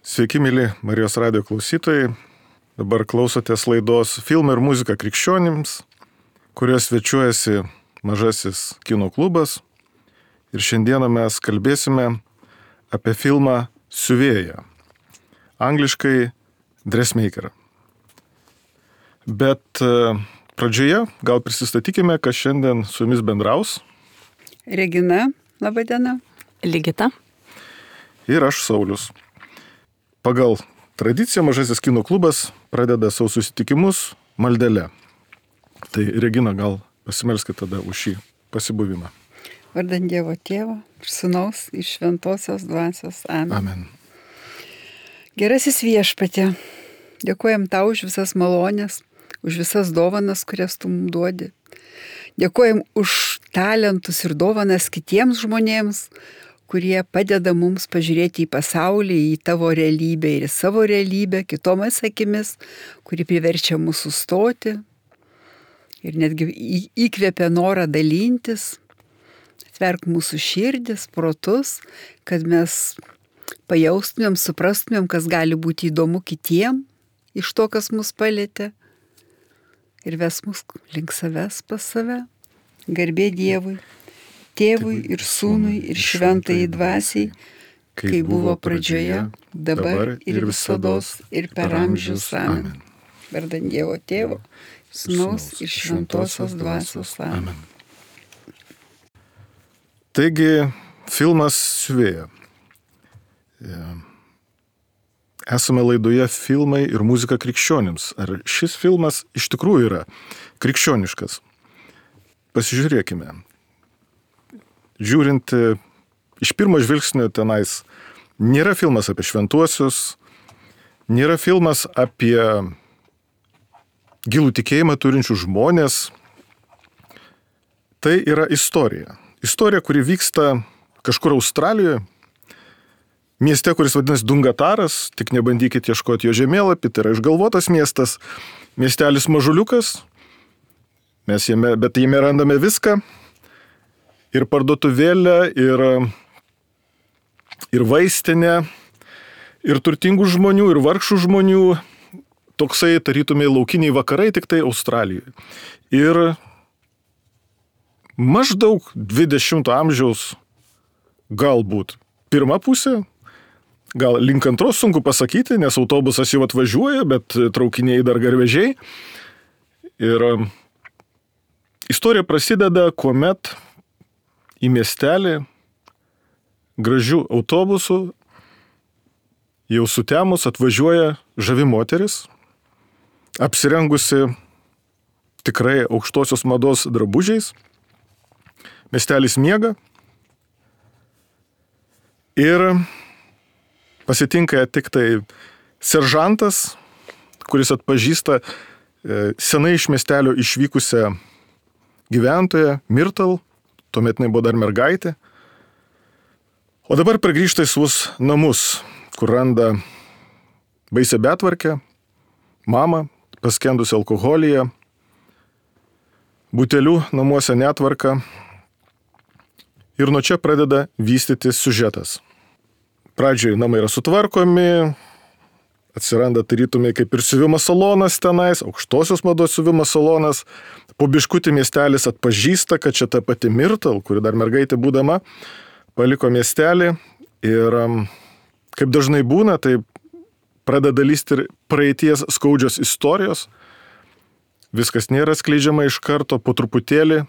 Sveiki, mėly Marijos radijo klausytojai. Dabar klausotės laidos Filmai ir muzika krikščionims, kurioje svečiuojasi Mažasis kino klubas. Ir šiandieną mes kalbėsime apie filmą Siuvėja, angliškai Dressmaker. Bet pradžioje gal prisistatykime, kas šiandien su jumis bendraus. Regina, laba diena. Ligita. Ir aš, Saulius. Pagal tradiciją Mažasis kino klubas pradeda savo susitikimus maldele. Tai Regina, gal pasimelskite tada už šį pasibuvimą. Vardant Dievo Tėvo ir Sūnaus ir Šventosios Dvasios. Amen. Amen. Gerasis Viešpatie, dėkojam tau už visas malonės, už visas dovanas, kurias tu mums duodi. Dėkojam už talentus ir dovanas kitiems žmonėms, kurie padeda mums pažiūrėti į pasaulį, į tavo realybę ir į savo realybę, kitomis akimis, kuri priverčia mūsų sustoti ir netgi įkvėpia norą dalintis. Atverk mūsų širdis, protus, kad mes pajaustumėm, suprastumėm, kas gali būti įdomu kitiem iš to, kas mus palietė. Ir ves mus link savęs pas save. Garbė Dievui, Tėvui ir Sūnui ir Šventajai Dvasiai, kai buvo pradžioje, dabar ir visados ir per amžius. Amen. Vardant Dievo Tėvo, Sūnaus ir Šventosios Dvasios. Amen. Taigi, filmas Siuvėja. Esame laidoje Filmai ir muzika krikščionims. Ar šis filmas iš tikrųjų yra krikščioniškas? Pasižiūrėkime. Žiūrint iš pirmo žvilgsnio tenais, nėra filmas apie šventuosius, nėra filmas apie gilų tikėjimą turinčių žmonės. Tai yra istorija. Istorija, kuri vyksta kažkur Australijoje, mieste, kuris vadinasi Dungataras, tik nebandykit ieškoti jo žemėlapį, tai yra išgalvotas miestas, miestelis mažuliukas, bet jame randame viską. Ir parduotuvėlę, ir vaistinę, ir turtingų žmonių, ir vargšų žmonių. Toksai tarytumai laukiniai vakarai, tik tai Australijoje. Ir maždaug 20 amžiaus, galbūt pirma pusė, gal link antros sunku pasakyti, nes autobusas jau atvažiuoja, bet traukiniai dar garvežiai. Ir istorija prasideda, kuomet į miestelį gražių autobusų jau sutemus atvažiuoja žavi moteris, apsirengusi tikrai aukštosios mados drabužiais. Miestelis miega ir pasitinka tik tai seržantas, kuris atpažįsta senai iš miestelio išvykusią gyventoją Myrtle. Tuomet jinai buvo dar mergaitė. O dabar pargrįžta į savus namus, kur randa baisią betvarkę, mamą, paskendusi alkoholyje, butelių namuose netvarka. Ir nuo čia pradeda vystytis siužetas. Pradžioje namai yra sutvarkomi, atsiranda tarytumai kaip ir siuvimo salonas tenais, aukštosios mados siuvimo salonas. Po biškutį miestelis atpažįsta, kad čia ta pati Myrtle, kuri dar mergaitė būdama, paliko miestelį. Ir kaip dažnai būna, tai pradeda lysti ir praeities skaudžios istorijos. Viskas nėra skleidžiama iš karto, po truputėlį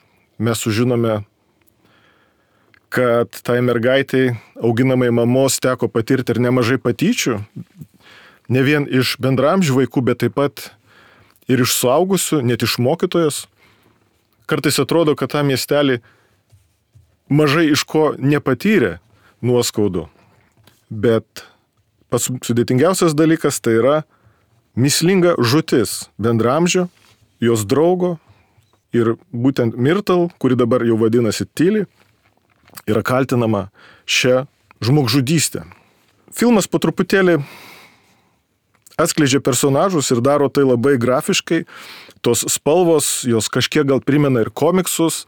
mes sužinome, kad tai mergaitai auginamai mamos teko patirti ir nemažai patyčių. Ne vien iš bendramžių vaikų, bet taip pat ir iš suaugusių, net iš mokytojos. Kartais atrodo, kad tą miestelį mažai iš ko nepatyrė nuoskaudų. Bet pats sudėtingiausias dalykas tai yra mįslinga žūtis bendramžio, jos draugo ir būtent Myrtle, kuri dabar jau vadinasi Tilly, yra kaltinama šią žmogžudystę. Filmas po truputėlį atskleidžia personažus ir daro tai labai grafiškai. Tos spalvos, jos kažkiek gal primena ir komiksus.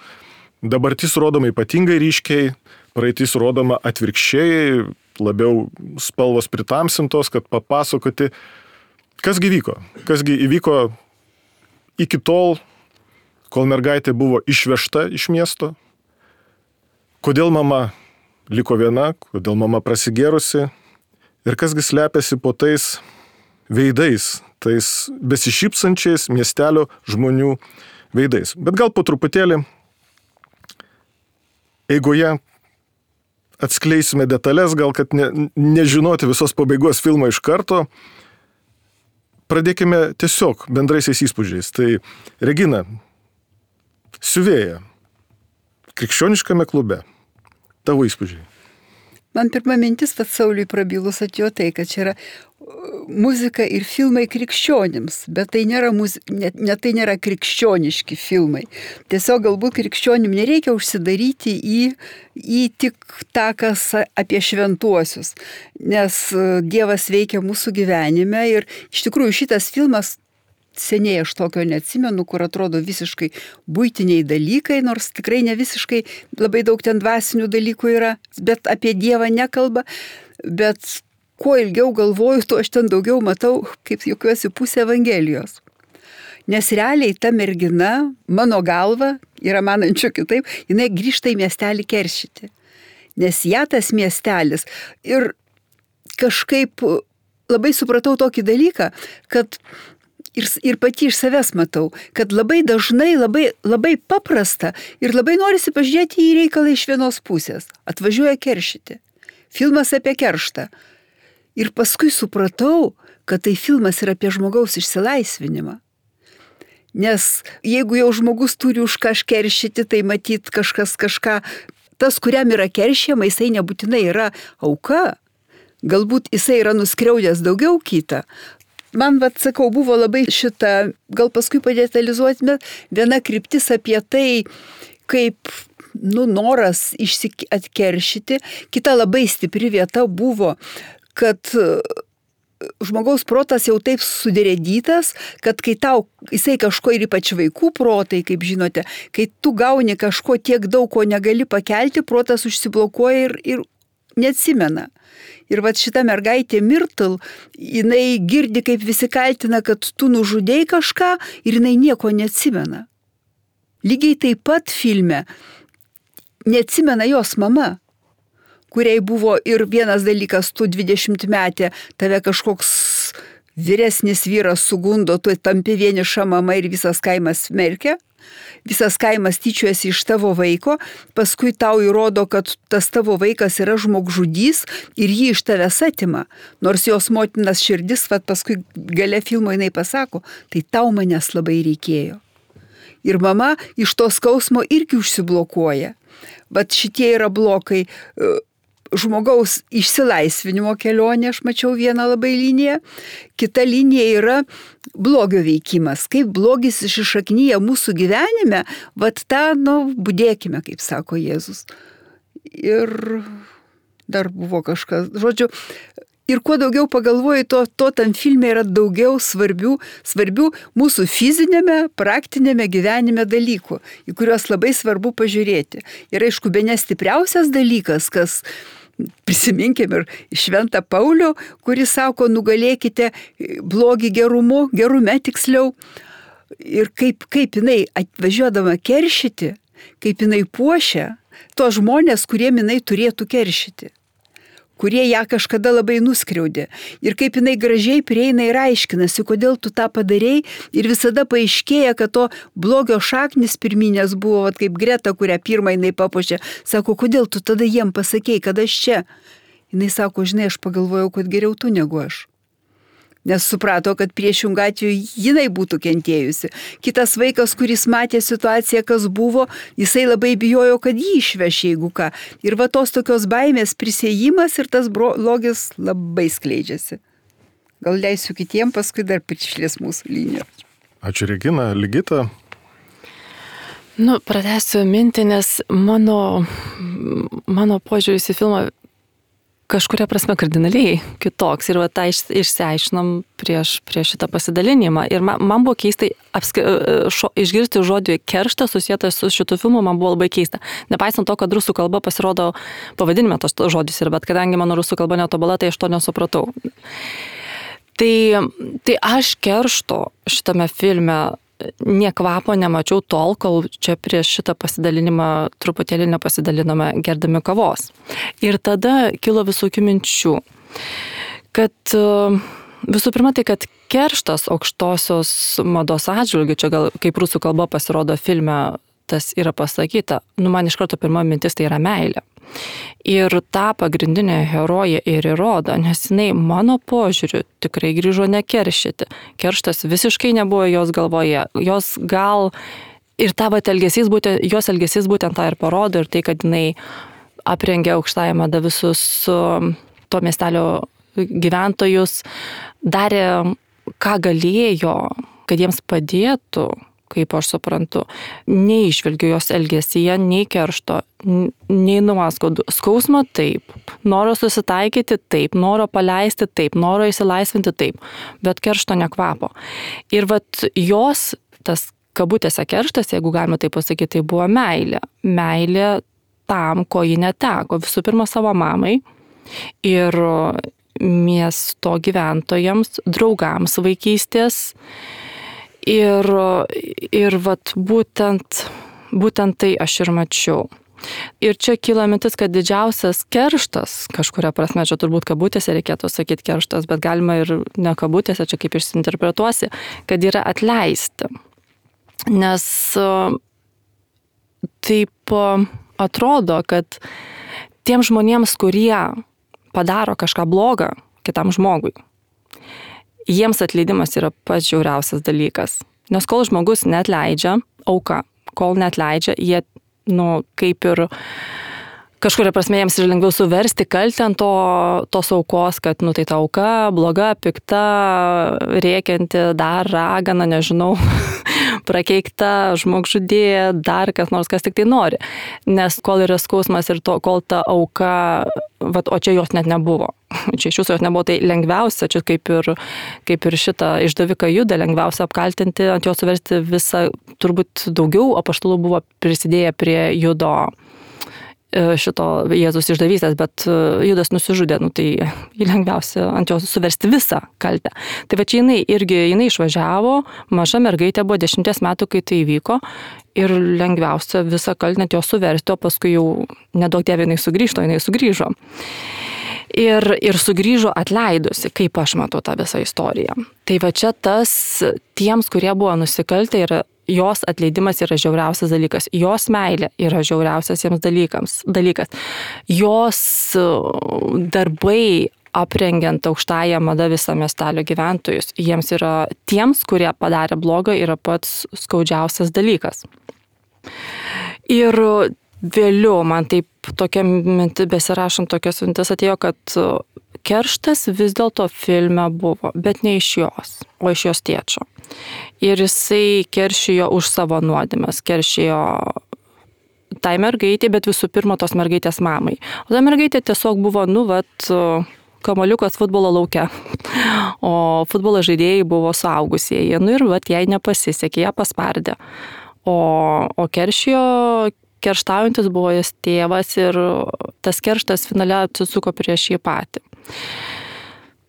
Dabartis rodoma ypatingai ryškiai, praeitis rodoma atvirkščiai, labiau spalvos pritamsintos, kad papasakoti, kasgi vyko. Kasgi įvyko iki tol, kol mergaitė buvo išvežta iš miesto. Kodėl mama liko viena, kodėl mama prasigėrusi ir kasgi slepiasi po tais veidais, tais besišypsančiais miestelio žmonių veidais. Bet gal po truputėlį eigoje atskleisime detalės, gal kad nežinoti visos pabaigos filmo iš karto. Pradėkime tiesiog bendraisiais įspūdžiais. Tai Regina, siuvėja, krikščioniškame klube, tavo įspūdžiai. Man pirma mintis, kad Sauliui prabilus atėjo tai, kad čia yra muzika ir filmai krikščionims, bet tai nėra, tai nėra krikščioniški filmai. Tiesiog galbūt krikščionim nereikia užsidaryti į tik tą, kas apie šventuosius, nes Dievas veikia mūsų gyvenime ir iš tikrųjų šitas filmas seniai aš tokio neatsimenu, kur atrodo visiškai buitiniai dalykai, nors tikrai ne visiškai labai daug ten dvasinių dalykų yra, bet apie Dievą nekalba, bet kuo ilgiau galvoju, tuo aš ten daugiau matau, kaip juokiuosi, pusę Evangelijos. Nes realiai ta mergina, mano galva, yra manančių kitaip, jinai grįžta į miestelį keršyti. Nes ją tas miestelis ir kažkaip labai supratau tokį dalyką, kad ir pati iš savęs matau, kad labai dažnai, labai paprasta ir labai norisi pažiūrėti į reikalą iš vienos pusės. Atvažiuoja keršyti. Filmas apie kerštą. Ir paskui supratau, kad tai filmas yra apie žmogaus išsilaisvinimą. Nes jeigu jau žmogus turi už kažką keršyti, tai matyt kažką, tas, kuriam yra keršėma, jisai nebūtinai yra auka. Galbūt jisai yra nuskriaudęs daugiau kitą. Man, sakau, buvo labai šita, gal paskui padetalizuoti, viena kryptis apie tai, kaip, noras atkeršyti. Kita labai stipri vieta buvo, kad žmogaus protas jau taip sudėrėdytas, kad kai jisai kažko ir ypač vaikų protai, kaip žinote, kai tu gauni kažko tiek daug, ko negali pakelti, protas užsiblokuoja ir neatsimena. Ir šita mergaitė Myrtle, jinai girdi, kaip visi kaltina, kad tu nužudėjai kažką ir jinai nieko neatsimena. Lygiai taip pat filme neatsimena jos mama, kuriai buvo ir vienas dalykas, tu 20-metė, tave kažkoks vyresnis vyras sugundo, tu tampi vieniša mama ir visas kaimas smerkia. Visas kaimas tyčiuojasi iš tavo vaiko, paskui tau įrodo, kad tas tavo vaikas yra žmogžudys ir jį iš tavęs atima. Nors jos motinas širdis, paskui gale filmo jinai pasako, tai tau manęs labai reikėjo. Ir mama iš to skausmo irgi užsiblokuoja. Bet šitie yra blokai. Žmogaus išsilaisvinimo kelionė, aš mačiau vieną labai liniją, kita linija yra blogio veikimas, kaip blogis iššaknyja mūsų gyvenime, budėkime, kaip sako Jėzus. Ir dar buvo kažkas, žodžiu, ir kuo daugiau pagalvoju, to tam filme yra daugiau svarbių mūsų fizinėme, praktinėme gyvenime dalykų, į kuriuos labai svarbu pažiūrėti. Ir aišku, bene stipriausias dalykas, kas prisiminkim ir Šventą Paulių, kuris sako, nugalėkite blogį gerume tiksliau. Ir kaip jinai atvažiuodama keršyti, kaip jinai puošia tos žmonės, kuriem jinai turėtų keršyti, kurie ją kažkada labai nuskriaudė. Ir kaip jinai gražiai prieina ir aiškinasi, kodėl tu tą padarei. Ir visada paaiškėja, kad to blogio šaknis pirminės buvo, kaip Greta, kurią pirmą jinai papuošė. Sako, kodėl tu tada jiem pasakei, kad aš čia? Jinai sako, žinai, aš pagalvojau, kad geriau tu negu aš. Nes suprato, kad priešingų atveju jinai būtų kentėjusi. Kitas vaikas, kuris matė situaciją, kas buvo, jisai labai bijojo, kad jį išveš, jeigu ką. Ir tos tokios baimės prisėjimas ir tas blogis labai skleidžiasi. Gal leisiu kitiem, paskui dar prišlės mūsų liniją. Ačiū, Regina. Ligita? Pratęsiu mintį, nes mano požiūris į filmą kažkuria prasme kardinaliai kitoks. Ir tą išsiaiškinom prieš šitą pasidalinimą. Ir man buvo keista išgirsti žodį kerštas susietas su šitu filmu, man buvo labai keista. Nepaisant to, kad rusų kalba pasirodo pavadinime tos žodis yra, bet kadangi mano rusų kalba netobula, tai aš to nesupratau. Tai aš keršto šitame filme nie kvapo nemačiau tol, kol čia prieš šitą pasidalinimą truputėlį nepasidalinome gerdami kavos. Ir tada kilo visokių minčių, kad visų pirma tai, kad kerštas aukštosios mados atžvilgių, čia gal kaip rusų kalba pasirodo filme, tas yra pasakyta, man iš karto pirma mintis tai yra meilė. Ir tą pagrindinę heroję ir įrodo, nes jinai mano požiūriu tikrai grįžo nekeršyti. Kerštas visiškai nebuvo jos galvoje. Jos gal ir jos elgesys būtent tą ir parodo, ir tai, kad jinai aprengė aukštąją madą visus to miestelio gyventojus, darė ką galėjo, kad jiems padėtų, kaip aš suprantu, neišvelgiu jos elgesyje, nei keršto, nei nuoskaudų. Skausmo taip, noro susitaikyti taip, noro paleisti taip, noro įsilaisvinti taip, bet keršto nekvapo. Ir vat jos, tas kabutėse kerštas, jeigu galima taip pasakyti, tai buvo meilė. Meilė tam, ko ji neteko. Visų pirma, savo mamai ir miesto gyventojams, draugams vaikystės. Ir vat būtent tai aš ir mačiau. Ir čia kyla mintis, kad didžiausias kerštas, kažkuria prasme, čia turbūt kabutėse reikėtų sakyti kerštas, bet galima ir ne kabutėse, čia kaip išsinterpretuosi, kad yra atleisti. Nes taip atrodo, kad tiem žmonėms, kurie padaro kažką blogą kitam žmogui, jiems atleidimas yra pats žiauriausias dalykas. Nes kol žmogus neatleidžia, auka, kol neatleidžia, jie, kaip ir kažkuria prasme jiems yra lengviau suversti kaltę ant tos aukos, kad, tai ta auka, bloga, pikta, rėkianti, dar ragana, nežinau, prakeikta, žmogžudė, dar kas nors, kas tik tai nori. Nes kol yra skausmas ir kol ta auka, o čia jos net nebuvo. Čia iš jūsų jos nebuvo, tai lengviausia, čia kaip ir šitą išdaviką Judą, lengviausia apkaltinti, ant jo suversti visą, turbūt daugiau apaštalų buvo prisidėję prie Judo šito Jėzus išdavystės, bet Judas nusižudė, tai lengviausia ant jo suversti visą kaltę. Tai va čia jinai išvažiavo, maža mergaitė buvo 10 metų, kai tai įvyko, ir lengviausia visą kaltę ant jo suversti, o paskui jau nedaug dievė jinai sugrįžo. Ir sugrįžo atleidusi, kaip aš matau tą visą istoriją. Tai va čia tiems, kurie buvo nusikaltę, ir jos atleidimas yra žiauriausias dalykas. Jos meilė yra žiauriausias jiems dalykas. Jos darbai aprengiant aukštąją madą visą miestelio gyventojus, jiems yra tiems, kurie padarė blogą, yra pats skaudžiausias dalykas. Ir vėliau man taip tokia mintis, besirašant tokias mintis atėjo, kad kerštas vis dėlto filme buvo, bet ne iš jos, o iš jos tėčio. Ir jisai keršijo už savo nuodėmes, keršijo tai mergaitė, bet visų pirma tos mergaitės mamai. O ta mergaitė tiesiog buvo, kamuoliukas futbolo lauke, o futbolo žaidėjai buvo suaugusieji. Ir jai nepasisekė, ją paspardė. O kerštaujantis buvo jos tėvas ir tas kerštas finale atsisuko prieš jį patį.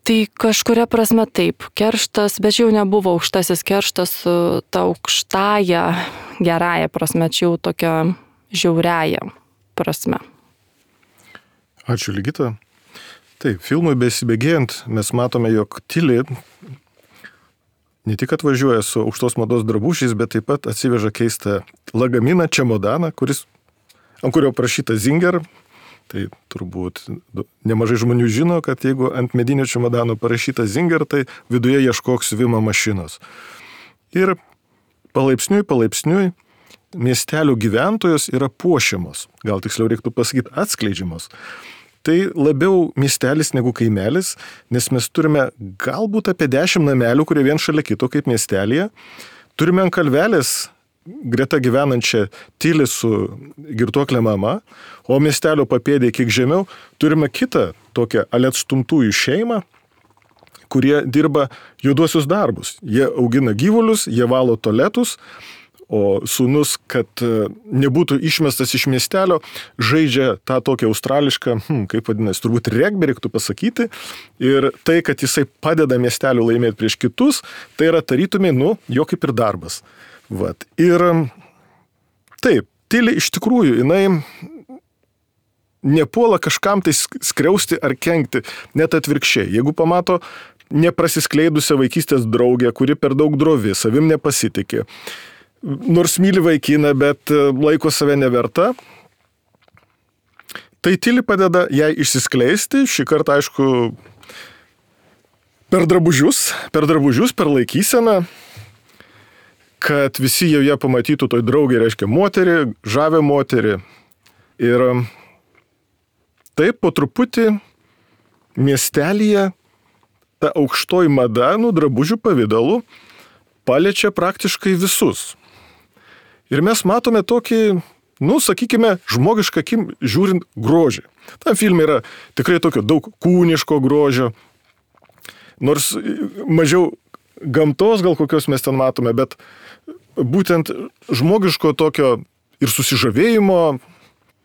Tai kažkuria prasme taip, kerštas, bet jau nebuvo aukštasis kerštas su ta aukštąja, gerąja prasme, čia jau tokia žiauriaja prasme. Ačiū, Ligita. Taip, filmui besibėgėjant mes matome, jog Tilly ne tik atvažiuoja su aukštos mados drabužiais, bet taip pat atsiveža keistą lagaminą, čemodaną, ant kurio parašyta Zinger. Tai turbūt nemažai žmonių žino, kad jeigu ant medinio čemodano parašyta Zinger, tai viduje ieškok siuvimo mašinos. Ir palaipsniui miestelių gyventojos yra puošiamos, gal tiksliau reiktų pasakyti atskleidžiamos. Tai labiau miestelis negu kaimelis, nes mes turime galbūt apie 10 namelių, kurie vien šalia kito kaip miestelėje. Turime ant kalvelės greta gyvenančią Tilį su girtuoklė mama, o miestelio papėdėje kiek žemiau turime kitą tokią atstumtųjų šeimą, kurie dirba juoduosius darbus. Jie augina gyvulius, jie valo tualetus, o sūnus, kad nebūtų išmestas iš miestelio, žaidžia tą tokią australišką, kaip vadinasi, turbūt regbį reiktų pasakyti. Ir tai, kad jisai padeda miesteliu laimėti prieš kitus, tai yra tarytumai, jo kaip ir darbas. Vat. Ir taip, Tilė iš tikrųjų, jinai nepuola kažkam tai skriausti ar kenkti, net atvirkščiai. Jeigu pamato neprasiskleidusią vaikystės draugę, kuri per daug drovi, savim nepasitikė, nors myli vaikiną, bet laiko save neverta, tai Tilė padeda jai išsiskleisti, šį kartą, aišku, per drabužius, per laikyseną, kad visi jau ją pamatytų toj draugė, reiškia moterį, žavę moterį. Ir taip po truputį miestelyje ta aukštoji mada, drabužių pavidalų, paliečia praktiškai visus. Ir mes matome tokį, sakykime, žmogišką akim žiūrint grožį. Tam filme yra tikrai tokio daug kūniško grožio, nors mažiau gamtos gal kokios mes ten matome, bet būtent žmogiško tokio ir susižavėjimo,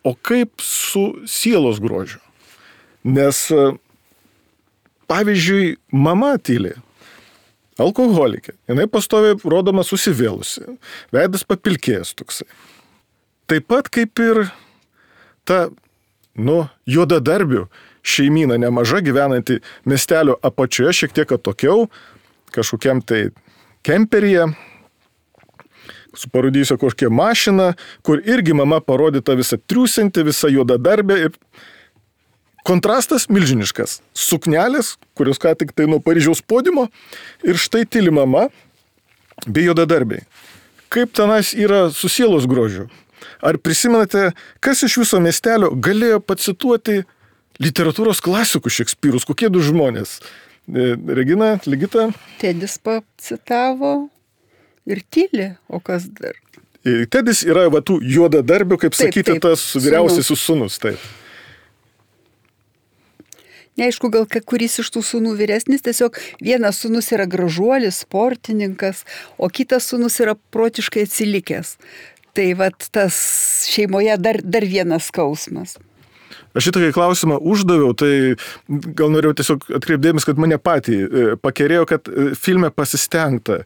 o kaip su sielos grožiu. Nes, pavyzdžiui, mama Tilė, alkoholikė, jinai pastoviai rodoma susivėlusi, veidas papilkėjęs toksai. Taip pat kaip ir ta, juodadarbių šeimyna nemaža gyvenanti miestelio apačioje, šiek tiek atokiau, kažkokiam tai kemperyje, suparudysiu kažkokią mašiną, kur irgi mama parodyta visa triūsinti, visa juodadarbė ir kontrastas milžiniškas. Suknelės, kurios ką tik tai nuo Paryžiaus podiumo ir štai Tilė mama bei juodadarbiai. Kaip tenais yra su sielos grožiu? Ar prisimenate, kas iš viso miestelio galėjo pacituoti literatūros klasikų Šekspyrus? Kokie du žmonės? Regina, Ligita? Tedis pacitavo ir Tilė, o kas dar? Tedis yra tų juodadarbių, kaip sakyti, tas vyriausiasis sūnus. Taip. Neaišku, gal kuris iš tų sūnų vyresnis, tiesiog vienas sūnus yra gražuolis, sportininkas, o kitas sūnus yra protiškai atsilikęs. Tai tas šeimoje dar vienas skausmas. Aš šitą klausimą uždaviau, tai gal norėjau tiesiog atkreipdėmis, kad mane patį pakerėjo, kad filme pasistengta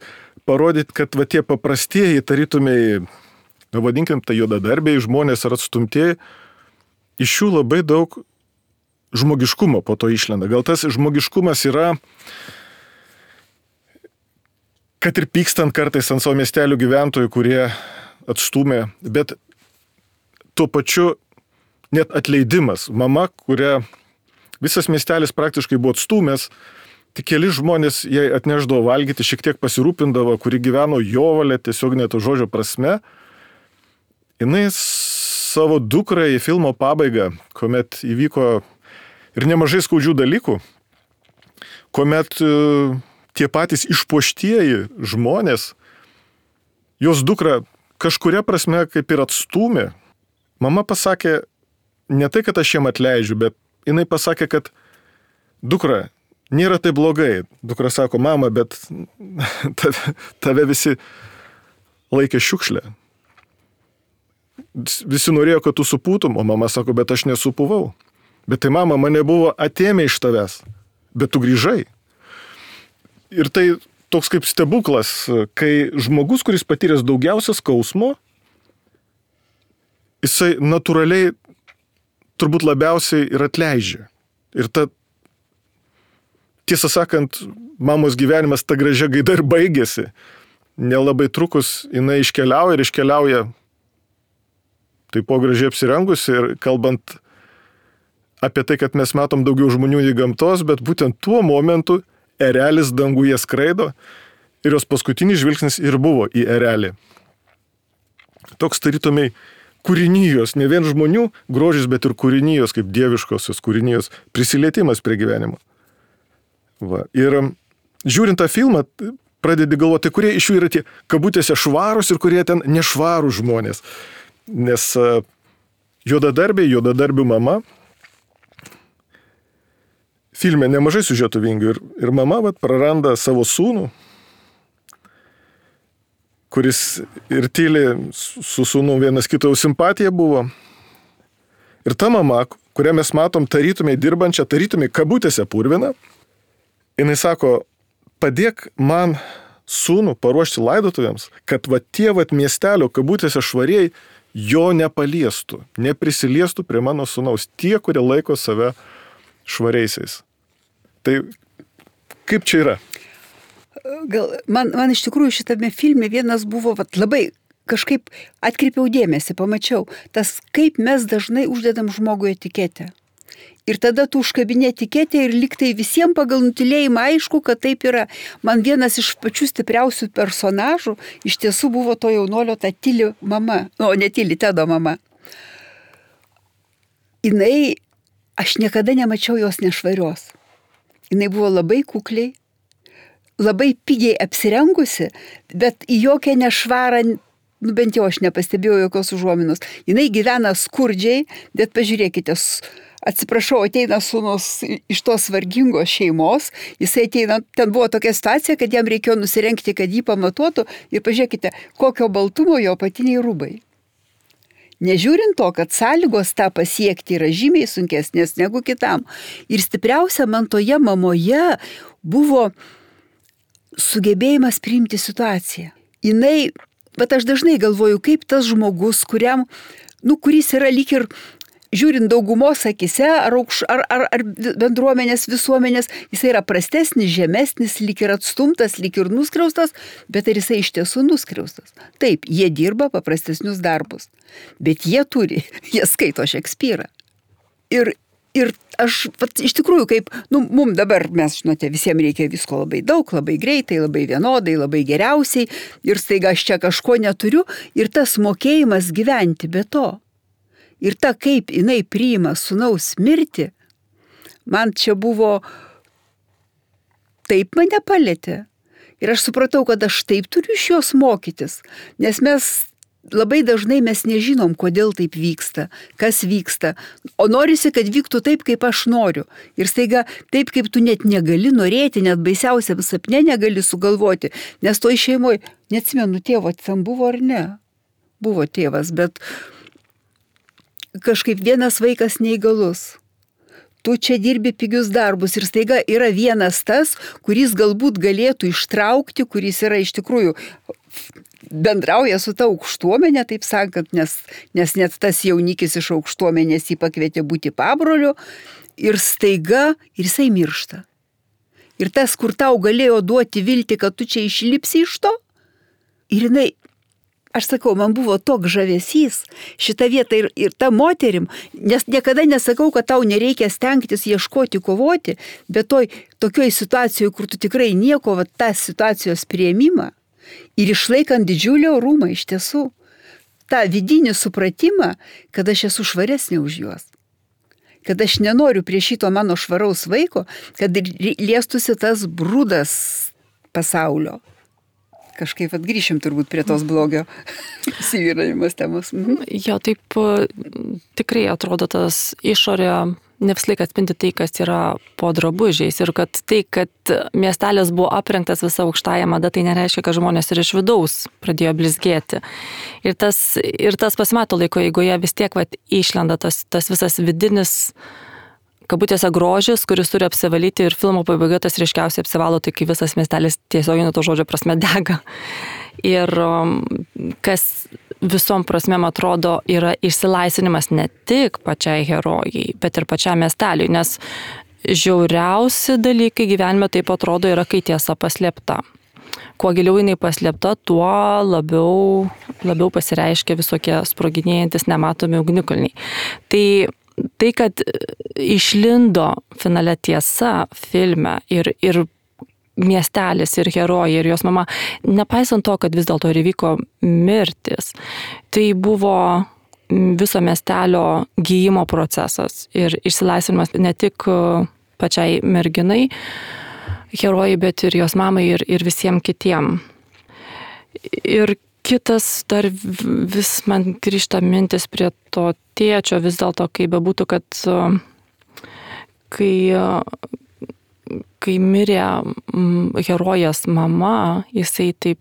parodyti, kad tie paprastieji, tarytumiai, vadinkim, tai juodadarbiai žmonės ar atstumtieji, iš jų labai daug žmogiškumo po to išlenda. Gal tas žmogiškumas yra, kad ir pykstant kartais ant savo miestelių gyventojų, kurie atstūmė, bet tuo pačiu net atleidimas. Mama, kurią visas miestelis praktiškai buvo atstūmęs, tik keli žmonės jai atneždavo valgyti, šiek tiek pasirūpindavo, kuri gyveno jovalė, tiesiog net žodžio prasme. Jinai savo dukrai į filmo pabaigą, kuomet įvyko ir nemažai skaudžių dalykų, kuomet tie patys išpuoštieji žmonės, jos dukra kažkuria prasme kaip ir atstūmė. Mama pasakė, ne tai, kad aš jiem atleidžiu, bet jinai pasakė, kad dukra, nėra tai blogai. Dukra sako, mama, bet tave visi laikė šiukšlę. Visi norėjo, kad tu supūtum, o mama sako, bet aš nesupuvau. Bet tai mama, mane buvo atėmę iš tavęs, bet tu grįžai. Ir tai toks kaip stebuklas, kai žmogus, kuris patyręs daugiausia skausmo, jisai natūraliai turbūt labiausiai ir atleidžia. Ir tiesą sakant, mamos gyvenimas ta gražia gaida ir baigėsi. Nelabai trukus jinai iškeliauja taip po gražiai apsirengusi ir kalbant apie tai, kad mes matom daugiau žmonių į gamtos, bet būtent tuo momentu erelis danguje skraido ir jos paskutinis žvilgsnis ir buvo į erelį. Toks tarytumai kūrinijos, ne vien žmonių grožis, bet ir kūrinijos, kaip dieviškosios kūrinijos prisilietimas prie gyvenimo. Va. Ir žiūrint tą filmą, pradedi galvoti, tai kurie iš jų yra tie kabutėse švarūs ir kurie ten nešvarūs žmonės. Nes juodadarbių mama, filme nemažai siužetų vingių ir mama praranda savo sūnų, kuris ir tyliai su sūnum vienas kito jau simpatija buvo. Ir ta mama, kurią mes matom tarytumai dirbančią, tarytumai kabutėse purviną, jinai sako, padėk man sūnų paruošti laidotuvėms, kad tie miestelio kabutėse švariai jo nepaliestų, neprisiliestų prie mano sūnaus, tie, kurie laiko save švariaisiais. Tai kaip čia yra? Gal man iš tikrųjų šitame filme vienas buvo labai kažkaip atkreipiau dėmesį, pamačiau, tas kaip mes dažnai uždedam žmogui etiketę. Ir tada tu užkabinė etiketę ir liktai visiems pagal nutylėjimą aišku, kad taip yra. Man vienas iš pačių stipriausių personažų iš tiesų buvo to jaunolio ta tyli mama, ne tyli, Tedo mama. Aš niekada nemačiau jos nešvarios. Jinai buvo labai kukliai, labai pigiai apsirengusi, bet į jokią nešvarą, bent jau aš nepastebėjau jokios užuominos. Jinai gyvena skurdžiai, bet pažiūrėkite, atsiprašau, ateina sūnus iš tos vargingos šeimos, jisai ateina, ten buvo tokia situacija, kad jam reikėjo nusirengti, kad jį pamatuotų ir pažiūrėkite, kokio baltumo jo apatiniai rūbai. Nežiūrint to, kad sąlygos tą pasiekti yra žymiai sunkesnės negu kitam. Ir stipriausia man toje mamoje buvo sugebėjimas priimti situaciją. Bet aš dažnai galvoju, kaip tas žmogus, kuris yra lyg ir žiūrint daugumos akise, ar bendruomenės, visuomenės, jisai yra prastesnis, žemesnis, lyg ir atstumtas, lyg ir nuskriaustas, bet ar jisai iš tiesų nuskriaustas? Taip, jie dirba paprastesnius darbus, bet jie skaito Šekspyrą. Ir aš iš tikrųjų, kaip, mums dabar, mes žinote, visiems reikia visko labai daug, labai greitai, labai vienodai, labai geriausiai, ir staiga aš čia kažko neturiu, ir tas mokėjimas gyventi be to. Ir ta, kaip jinai priima sūnaus mirtį, man čia buvo, taip mane palėtė. Ir aš supratau, kad aš taip turiu iš jos mokytis, nes labai dažnai mes nežinom, kodėl taip vyksta, kas vyksta, o norisi, kad vyktų taip, kaip aš noriu. Ir staiga taip, kaip tu net negali norėti, net baisiausiam sapne negali sugalvoti, nes toj šeimoje, neatsimenu, tėvo ten buvo ar ne, buvo tėvas, bet kažkaip vienas vaikas neįgalus. Tu čia dirbi pigius darbus ir staiga yra vienas tas, kuris galbūt galėtų ištraukti, kuris yra iš tikrųjų bendrauja su ta aukštuomenė, taip sakant, nes net tas jaunikis iš aukštuomenės jį pakvietė būti pabroliu ir staiga ir jisai miršta. Ir tas, kur tau galėjo duoti viltį, kad tu čia išlipsi iš to, ir jinai, aš sakau, man buvo toks žavesys šitą vietą ir ta moterim, nes niekada nesakau, kad tau nereikia stengtis ieškoti, kovoti, bet tokioj situacijoje, kur tu tikrai nieko, tą situacijos priėmimą ir išlaikant didžiulį orumą iš tiesų, tą vidinį supratimą, kad aš esu švaresnė už juos, kad aš nenoriu prie šito mano švaraus vaiko, kad liestųsi tas brūdas pasaulio. Kažkaip atgrįšim turbūt prie tos blogio įsivyravimas temos. Jo, taip tikrai atrodo tas išorė ne visą laiką atspindi tai, kas yra po drabužiais ir kad tai, kad miestelis buvo aprengtas visą aukštąją madą, tai nereiškia, kad žmonės ir iš vidaus pradėjo blizgėti. Ir tas pasimato laiko eigoje vis tiek išlenda tas visas vidinis kabutėse grožis, kuris turi apsivalyti ir filmo pabaiga tas ryškiausiai apsivalo, tai kai visas miestelis tiesiogiai nuo to žodžio prasme dega. Ir kas visom prasmėm atrodo yra išsilaisvinimas ne tik pačiai herojai, bet ir pačiam miesteliui, nes žiauriausi dalykai gyvenime taip atrodo yra, kai tiesa paslėpta. Kuo giliau jinai paslėpta, tuo labiau pasireiškia visokie sproginėjantis nematomi ugnikalniai. Tai, kad išlindo finale tiesa filme ir miestelis, ir herojai, ir jos mama, nepaisant to, kad vis dėlto ir įvyko mirtis, tai buvo viso miestelio gyjimo procesas ir išsilaisvinimas ne tik pačiai merginai, herojai, bet ir jos mamai ir visiems kitiem. Ir kitas dar vis man grįžta mintis prie to tėčio, vis dėlto, kaip bebūtų, kad kai mirė herojės mama, jisai taip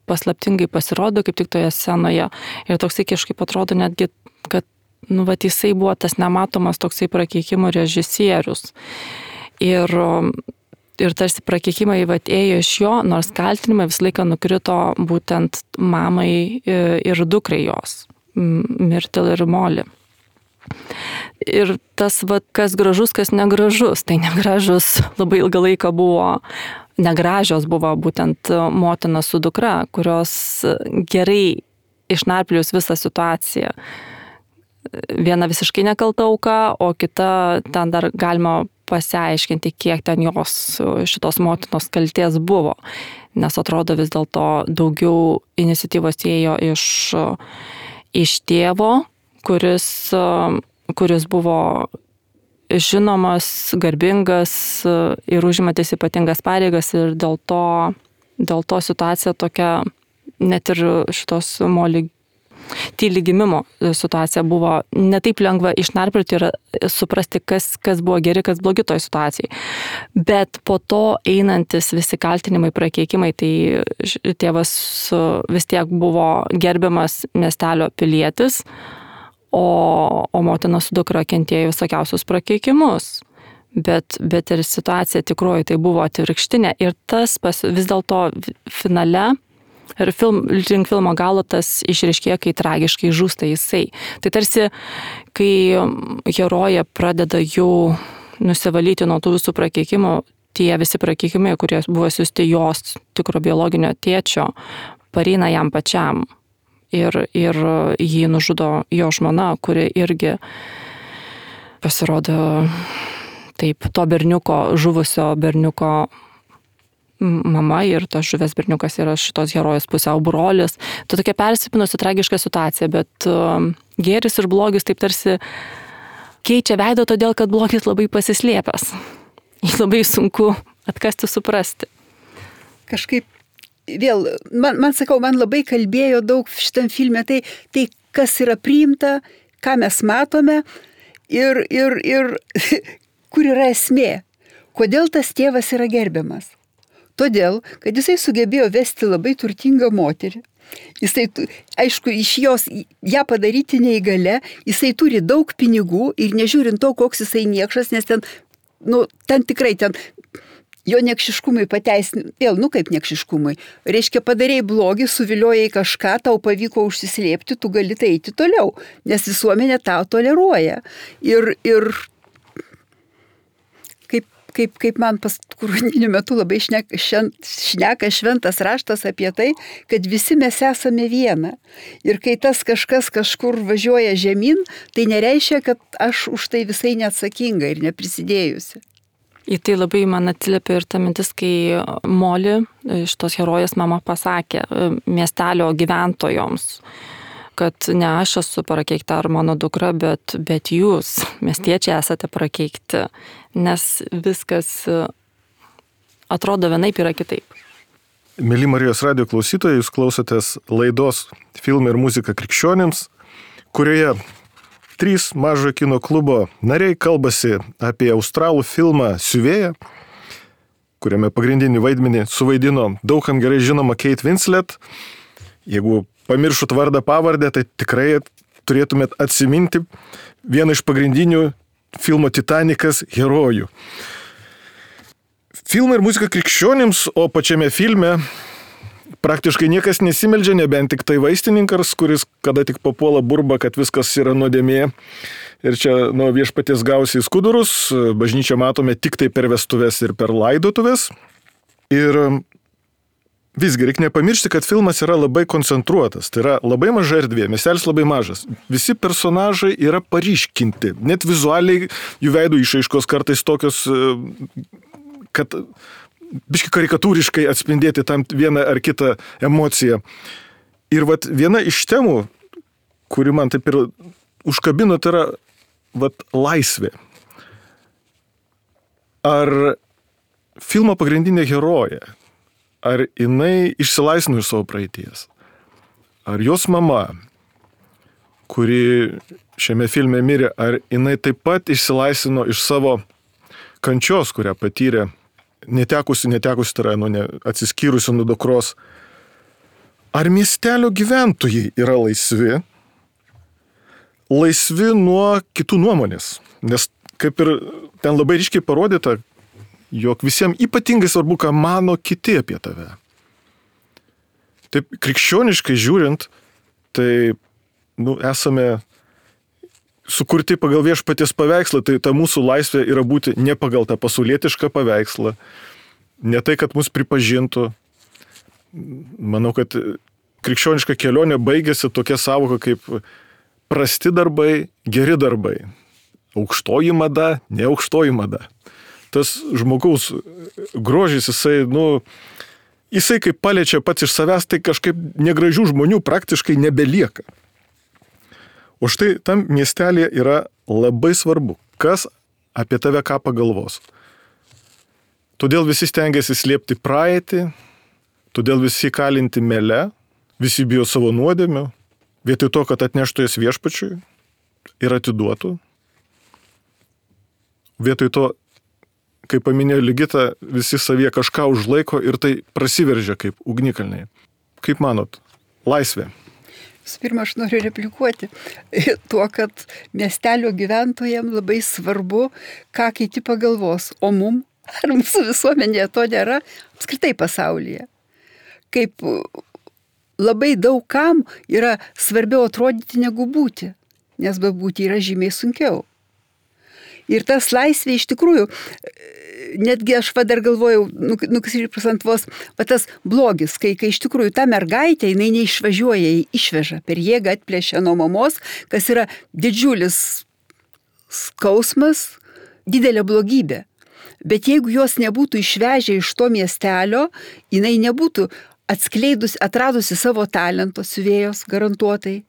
paslaptingai pasirodo kaip tik toje scenoje. Ir toksai kažkaip atrodo netgi, kad jisai buvo tas nematomas toksai prakeikimo režisierius. Ir tarsi prakeikimai ėjo iš jo, nors kaltinimai visą laiką nukrito būtent mamai ir dukrai jos, Myrtle ir Molly. Ir tas, kas gražus, kas negražus, tai negražus labai ilgą laiką buvo, negražios buvo būtent motina su dukra, kurios gerai išnarplius visą situaciją. Viena visiškai nekalta auka, o kita ten dar galima pasiaiškinti, kiek ten jos šitos motinos kaltės buvo. Nes atrodo vis dėlto daugiau iniciatyvos ėjo iš tėvo, kuris buvo žinomas, garbingas ir užimantis ypatingas pareigas ir dėl to situacija tokia, net ir šitos Molly tyli gimimo situacija buvo netaip lengva išnarplioti ir suprasti, kas buvo geri, kas blogi toj situacijai. Bet po to einantis visi kaltinimai, prakeikimai, tai tėvas vis tiek buvo gerbiamas miestelio pilietis, o motina su dukra kentėjo visokiausius prakeikimus. Bet ir situacija tikroji tai buvo atvirkštinė. Ir tas vis dėlto finale, ir link filmo galo tas išreiškėjo, kai tragiškai žūsta jisai. Tai tarsi, kai herojė pradeda jau nusivalyti nuo tų visų prakeikimų, tie visi prakeikimai, kurie buvo siųsti jos tikro biologinio tėčio, pareina jam pačiam. Ir jį nužudo jo žmona, kuri irgi pasirodo taip, to berniuko, žuvusio berniuko mama, ir tas žuvęs berniukas yra šitos herojės pusiau brolis. Tai tokia persipinusi tragiška situacija, bet gėris ir blogis taip tarsi keičia veidą, todėl kad blogis labai pasislėpęs. Jį labai sunku atkasti, suprasti. Kažkaip vėl, man labai kalbėjo daug šitam filme, tai kas yra priimta, ką mes matome ir kur yra esmė. Kodėl tas tėvas yra gerbiamas? Todėl, kad jisai sugebėjo vesti labai turtingą moterį. Jisai, aišku, iš jos ją padaryti neįgalia, jisai turi daug pinigų ir nežiūrint to, koks jisai niekšas, nes ten tikrai jo niekšiškumui pateisin, vėl, kaip niekšiškumui. Reiškia, padarėjai blogį, suviliojai kažką, tau pavyko užsislėpti, tu gali tai eiti toliau, nes visuomenė tą toleruoja. Ir kaip man paskutiniu metu labai šneka šventas raštas apie tai, kad visi mes esame viena. Ir kai tas kažkas kažkur važiuoja žemyn, tai nereiškia, kad aš už tai visai neatsakinga ir neprisidėjusi. Į tai labai man atsiliepia ir ta mintis, kai Molly, šitos herojės mama, pasakė miestelio gyventojoms, kad ne aš esu prakeikta ar mano dukra, bet jūs, miestiečiai, esate prakeikti, nes viskas atrodo vienaip, yra kitaip. Mėly Marijos radijo klausytojai, jūs klausotės laidos Filmai ir muzika krikščionims, kurioje 3 mažojo kino klubo nariai kalbasi apie australų filmą Siuvėja, kuriame pagrindinį vaidmenį suvaidino daugam gerai žinoma Kate Winslet. Jeigu pamiršut vardą pavardę, tai tikrai turėtumėt atsiminti vieną iš pagrindinių filmo Titanikas herojų. Filmai ir muzika krikščionims, o pačiame filme praktiškai niekas nesimeldžia, nebent tik tai vaistininkas, kuris kada tik papuola burba, kad viskas yra nuodėmė. Ir čia nuo viešpaties gausi į skudurus, bažnyčią matome tik tai per vestuves ir per laidotuvės. Ir visgi reikia nepamiršti, kad filmas yra labai koncentruotas, tai yra labai maža erdvė, miestelis labai mažas. Visi personažai yra paryškinti, net vizualiai jų veidų išraiškos kartais tokios, kad biški karikatūriškai atspindėti tam vieną ar kitą emociją. Ir viena iš temų, kuri man taip ir užkabino, tai yra laisvė. Ar filmo pagrindinė herojė, ar jinai išsilaisvino iš savo praeities? Ar jos mama, kuri šiame filme mirė, ar jinai taip pat išsilaisvino iš savo kančios, kurią patyrė, netekusi, tai yra atsiskyrusi nuo dukros? Ar miestelio gyventojai yra laisvi nuo kitų nuomonės? Nes kaip ir ten labai ryškiai parodyta, jog visiems ypatingai svarbu, ką mano kiti apie tave. Taip, krikščioniškai žiūrint, tai esame sukurti pagal viešpaties paveikslą, tai ta mūsų laisvė yra būti ne pagal tą pasaulietišką paveikslą, ne tai, kad mus pripažintų. Manau, kad krikščioniška kelionė baigėsi tokia savoka kaip prasti darbai, geri darbai. Aukštoji mada, ne aukštoji mada. Tas žmogaus grožis, jisai kaip paliečia pats iš savęs, tai kažkaip negražių žmonių praktiškai nebelieka. O štai tam miestelėje yra labai svarbu, kas apie tave ką pagalvos. Todėl visi stengiasi slėpti praeitį, todėl visi kalinti mele, visi bijo savo nuodėmių, vietoj to, kad atneštų jas viešpačiui ir atiduotų. Vietoj to, kaip paminėjo Ligita, visi savyje kažką užlaiko ir tai prasiveržia kaip ugnikalniai. Kaip manot, laisvė? Pirma, aš noriu replikuoti tuo, kad miestelio gyventojams labai svarbu, ką kiti pagalvos, o mum, ar mūsų visuomenėje to nėra, apskritai pasaulyje. Kaip labai daug kam yra svarbiau atrodyti negu būti, nes be būti yra žymiai sunkiau. Ir tas laisvė iš tikrųjų, netgi aš dar galvojau, nukrisipras ant vos, tas blogis, kai iš tikrųjų ta mergaitė, jinai neišvažiuoja, jį išveža, per jėgą atplėšia nuo mamos, kas yra didžiulis skausmas, didelė blogybė. Bet jeigu jos nebūtų išvežę iš to miestelio, jinai nebūtų atradusi savo talento siuvėjos garantuotai,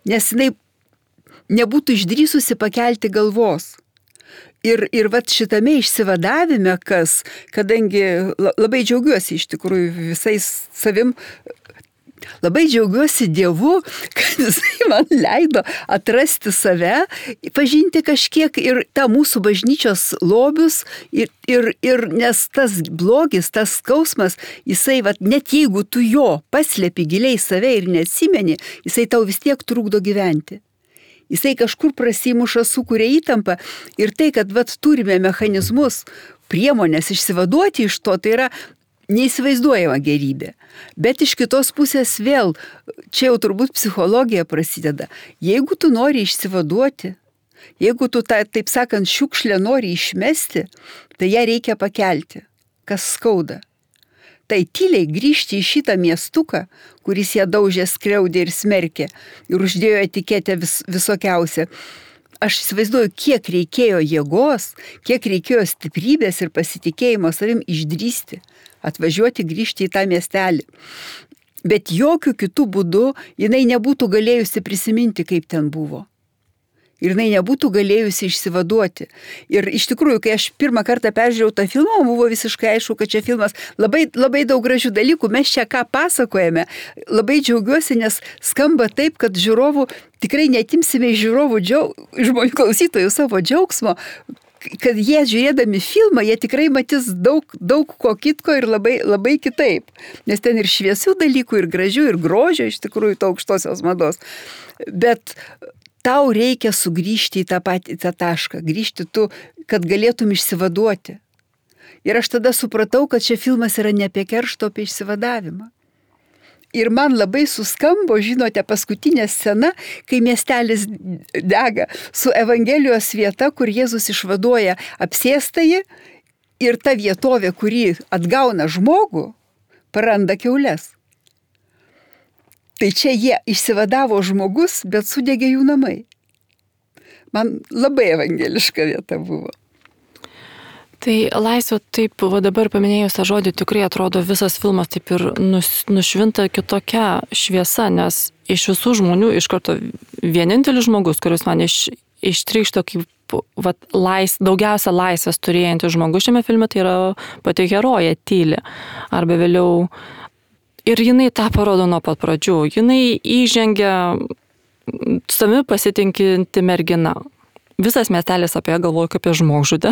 nes jinai nebūtų išdrįsusi pakelti galvos. Ir vat šitame išsivadavime, kadangi labai džiaugiuosi iš tikrųjų visais savim, labai džiaugiuosi Dievu, kad jisai man leido atrasti save, pažinti kažkiek ir tą mūsų bažnyčios lobius, ir nes tas blogis, tas skausmas, jisai net jeigu tu jo paslėpi giliai save ir neatsimeni, jisai tau vis tiek trukdo gyventi. Jisai kažkur prasimuša, sukuria įtampą ir tai, kad turime mechanizmus, priemonės išsivaduoti iš to, tai yra neįsivaizduojama gerybė. Bet iš kitos pusės vėl, čia jau turbūt psichologija prasideda. Jeigu tu nori išsivaduoti, jeigu tu taip sakant šiukšlę nori išmesti, tai ją reikia pakelti, kas skauda. Tai tyliai grįžti į šitą miestuką, kuris ją daužė, skriaudė ir smerkė ir uždėjo etiketę visokiausią. Aš įsivaizduoju, kiek reikėjo jėgos, kiek reikėjo stiprybės ir pasitikėjimo savim išdrįsti, atvažiuoti, grįžti į tą miestelį. Bet jokių kitų būdų jinai nebūtų galėjusi prisiminti, kaip ten buvo. Ir jinai nebūtų galėjusi išsivaduoti. Ir iš tikrųjų, kai aš pirmą kartą peržiūrėjau tą filmą, buvo visiškai aišku, kad čia filmas labai, labai daug gražių dalykų. Mes čia ką pasakojame. Labai džiaugiuosi, nes skamba taip, kad žiūrovų tikrai netimsime iš žiūrovų, žmonių klausytojų savo džiaugsmo, kad jie žiūrėdami filmą, jie tikrai matys daug ko kitko ir labai, labai kitaip. Nes ten ir šviesių dalykų, ir gražių, ir grožio iš tikrųjų to aukštosios mados. Bet tau reikia sugrįžti į tą patį tašką, grįžti tu, kad galėtum išsivaduoti. Ir aš tada supratau, kad šia filmas yra ne apie kerštą, apie išsivadavimą. Ir man labai suskambo, žinote, paskutinė scena, kai miestelis dega su Evangelijos vieta, kur Jėzus išvaduoja apsėstąjį ir ta vietovė, kuri atgauna žmogų, praranda kiaules. Tai čia jie išsivadavo žmogus, bet sudegė jų namai. Man labai evangeliška vieta buvo. Tai laisvė, taip, dabar paminėjus tą žodį, tikrai atrodo visas filmas taip ir nušvinta kitokia šviesa, nes iš visų žmonių iš karto vienintelis žmogus, kuris man ištrykšto kaip kaip daugiausia laisvės turėjantis žmogus šiame filme, tai yra pati herojė Tyli. Arba vėliau. Ir jinai tą parodo nuo pat pradžių. Jinai įžengia savimi pasitinkinti mergina. Visas miestelis apie ją galvoja kaip apie žmogžudę.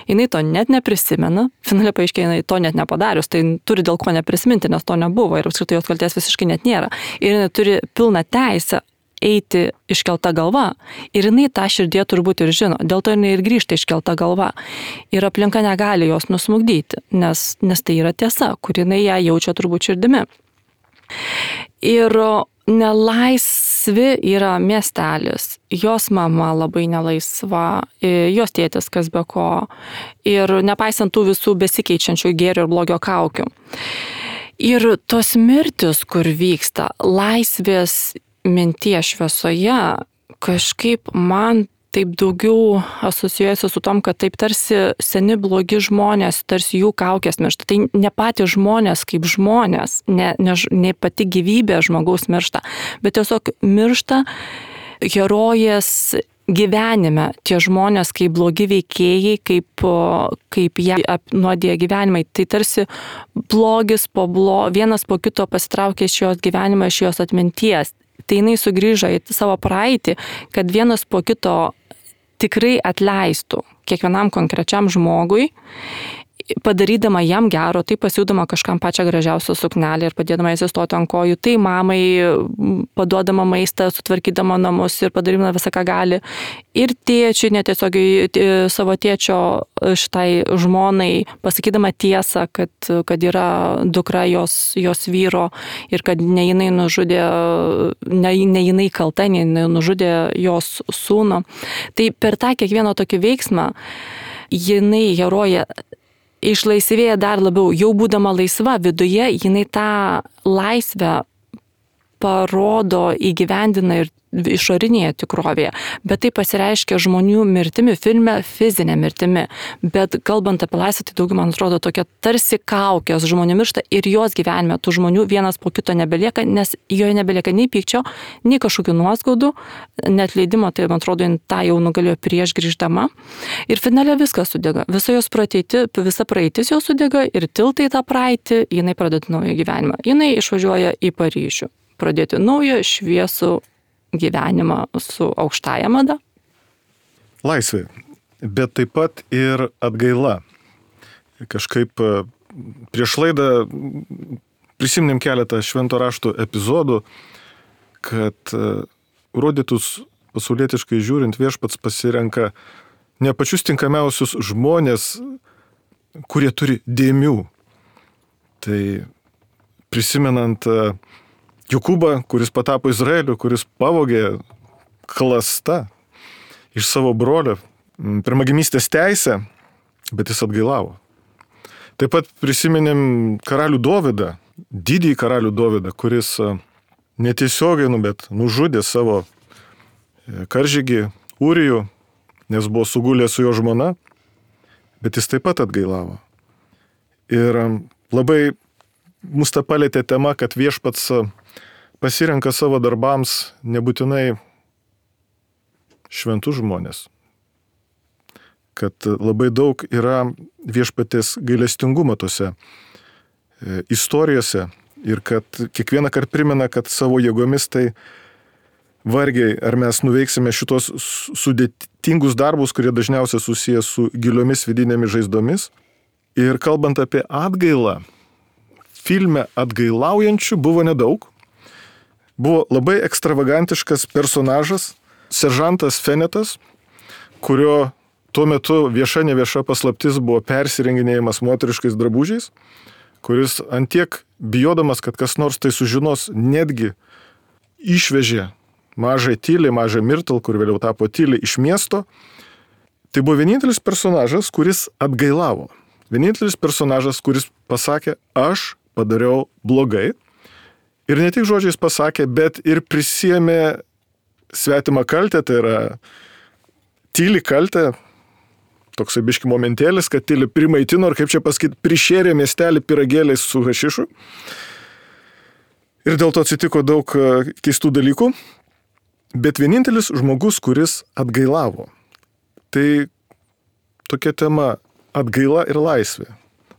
Jinai to net neprisimena. Finale paaiškėja, jinai to net nepadarius. Tai turi dėl ko neprisiminti, nes to nebuvo. Ir apskritai jos kaltės visiškai net nėra. Ir jinai turi pilną teisę eiti iškelta galva. Ir jinai tą širdie turbūt ir žino. Dėl to jinai ir grįžta iškelta galva. Ir aplinka negali jos nusmugdyti, nes tai yra tiesa, kur jinai ją jaučia turbūt širdimi. Ir nelaisvi yra miestelis. Jos mama labai nelaisva, jos tėtis kas be ko. Ir nepaisant tų visų besikeičiančių gėrio ir blogio kaukių. Ir tos mirtis, kur vyksta, laisvės minties šviesoje, kažkaip man taip daugiau asocijuojasi su tom, kad taip tarsi seni blogi žmonės, tarsi jų kaukės miršta. Tai ne patys žmonės kaip žmonės, ne pati gyvybė žmogaus miršta, bet tiesiog miršta herojės gyvenime. Tie žmonės kaip blogi veikėjai, kaip jie apnuodė gyvenimai. Tai tarsi blogis vienas po kito pasitraukė iš jos gyvenimą, iš jos atminties. Tai jinai sugrįžo į savo praeitį, kad vienas po kito tikrai atleistų kiekvienam konkrečiam žmogui, padarydama jam gero, tai pasiūdama kažkam pačią gražiausią suknelę ir padėdama įsistoti ant kojų, tai mamai paduodama maistą, sutvarkydama namus ir padarydama visą, ką gali. Ir tėčiui, netiesiogiai savo tėčio šitai žmonai, pasakydama tiesą, kad yra dukra jos vyro ir kad ne jinai nužudė, ne jinai kalta, ne jinai nužudė jos sūnų. Tai per tą kiekvieną tokį veiksmą jinai herojė išlaisvėja dar labiau, jau būdama laisva viduje, jinai tą laisvę parodo, įgyvendina ir išorinėje tikrovėje, bet tai pasireiškia žmonių mirtimi, filme fizinė mirtimi, bet kalbant apie laisvę, tai daugiau man atrodo tokia tarsi kaukės, žmonių miršta ir jos gyvenime tų žmonių vienas po kito nebelieka, nes joje nebelieka nei pykčio, nei kažkokių nuoskaudų, net leidimo, tai man atrodo, tą jau nugalėjo prieš grįždama. Ir finale viskas sudega, visa praeitis jau sudega ir tiltai tą praeitį, jinai pradeda naują gyvenimą. Jinai išvažiuoja į Paryžių, pradėti naują šviesų gyvenimą su aukštąja mada. Laisvė, bet taip pat ir atgaila. Kažkaip prieš laidą prisiminėm keletą švento rašto epizodų, kad rodytus pasaulietiškai žiūrint viešpats pasirenka ne pačius tinkamiausius žmonės, kurie turi dėmių. Tai prisimenant Jokūbą, kuris patapo Izraeliu, kuris pavogė klasta iš savo brolio pirmagimystės teisę, bet jis atgailavo. Taip pat prisiminėm karalių Dovydą, didįjį karalių Dovydą, kuris netiesiogiai, bet nužudė savo karžygį Ūrijų, nes buvo sugulęs su jo žmona, bet jis taip pat atgailavo. Ir labai mus tą palėtė tema, kad viešpats pasirenka savo darbams nebūtinai šventus žmonės. Kad labai daug yra viešpatės gailestingumo tose istorijose ir kad kiekvieną kartą primena, kad savo jėgomis tai vargiai ar mes nuveiksime šitos sudėtingus darbus, kurie dažniausiai susijęs su giliomis vidinėmis žaizdomis. Ir kalbant apie atgailą, filme atgailaujančių buvo nedaug. Buvo labai ekstravagantiškas personažas, seržantas Fenetas, kurio tuo metu vieša nevieša paslaptis buvo persirenginėjimas moteriškais drabužiais, kuris antiek bijodamas, kad kas nors tai sužinos, netgi išvežė mažą Tylį, mažą Mirtal, kur vėliau tapo Tyli, iš miesto. Tai buvo vienintelis personažas, kuris atgailavo. Vienintelis personažas, kuris pasakė, aš padariau blogai. Ir ne tik žodžiais pasakė, bet ir prisiėmė svetimą kaltę, tai yra Tyli kaltę, toksai biški momentėlis, kad Tyli primaitino ir, kaip čia pasakyti, prišėrė miestelį pyragėliais su hašišu. Ir dėl to atsitiko daug keistų dalykų. Bet vienintelis žmogus, kuris atgailavo. Tai tokia tema - atgaila ir laisvė.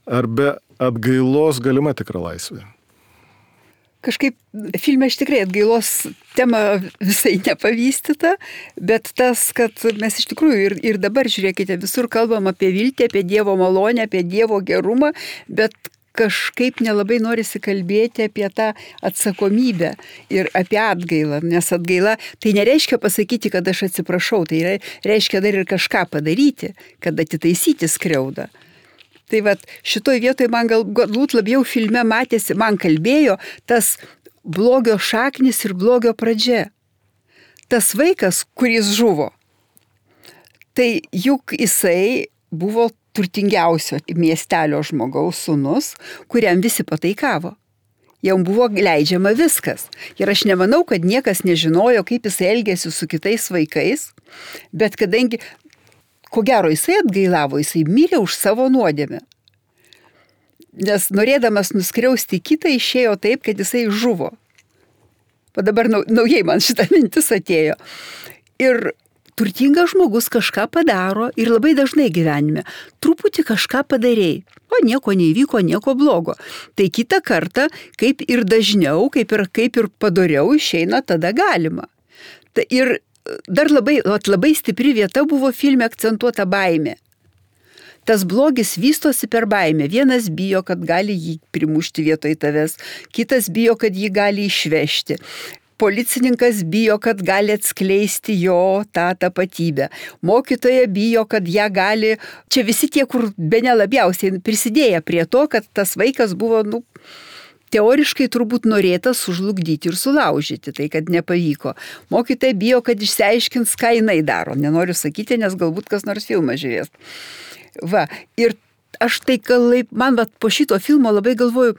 Ar be atgailos galima tikra laisvė? Kažkaip filme iš tikrai atgailos tema visai nepavystyta, bet tas, kad mes iš tikrųjų ir dabar, žiūrėkite, visur kalbam apie viltį, apie Dievo malonę, apie Dievo gerumą, bet kažkaip nelabai norisi kalbėti apie tą atsakomybę ir apie atgailą, nes atgaila tai nereiškia pasakyti, kad aš atsiprašau, tai reiškia dar ir kažką padaryti, kad atitaisyti skriaudą. Tai vat šitoj vietoj man galbūt labiau filme matėsi, man kalbėjo tas blogio šaknis ir blogio pradžia. Tas vaikas, kuris žuvo, tai juk jisai buvo turtingiausio miestelio žmogaus sūnus, kuriam visi pataikavo. Jam buvo leidžiama viskas. Ir aš nemanau, kad niekas nežinojo, kaip jisai elgėsi su kitais vaikais, bet kadangi ko gero jisai atgailavo, jisai mirė už savo nuodėmę. Nes norėdamas nuskriausti kitą išėjo taip, kad jisai žuvo. O dabar naujai man šitą mintis atėjo. Ir turtingas žmogus kažką padaro ir labai dažnai gyvenime. Truputį kažką padarėjai. O nieko neįvyko, nieko blogo. Tai kitą kartą, kaip ir dažniau, kaip ir padoriau išeina, tada galima. Ir dar labai stipri vieta buvo filme akcentuota baimė. Tas blogis vystosi per baimę. Vienas bijo, kad gali jį primušti vietoj tavęs, kitas bijo, kad jį gali išvežti. Policininkas bijo, kad gali atskleisti jo tą tapatybę. Mokytoja bijo, kad ją gali... Čia visi tie, kur bene labiausiai prisidėję prie to, kad tas vaikas buvo, teoriškai turbūt norėta sužlugdyti ir sulaužyti, tai kad nepavyko. Mokytoja bijo, kad išsiaiškins, ką jinai daro. Nenoriu sakyti, nes galbūt kas nors filmą žiūrės. Va, ir aš tai, man po šito filmo labai galvoju,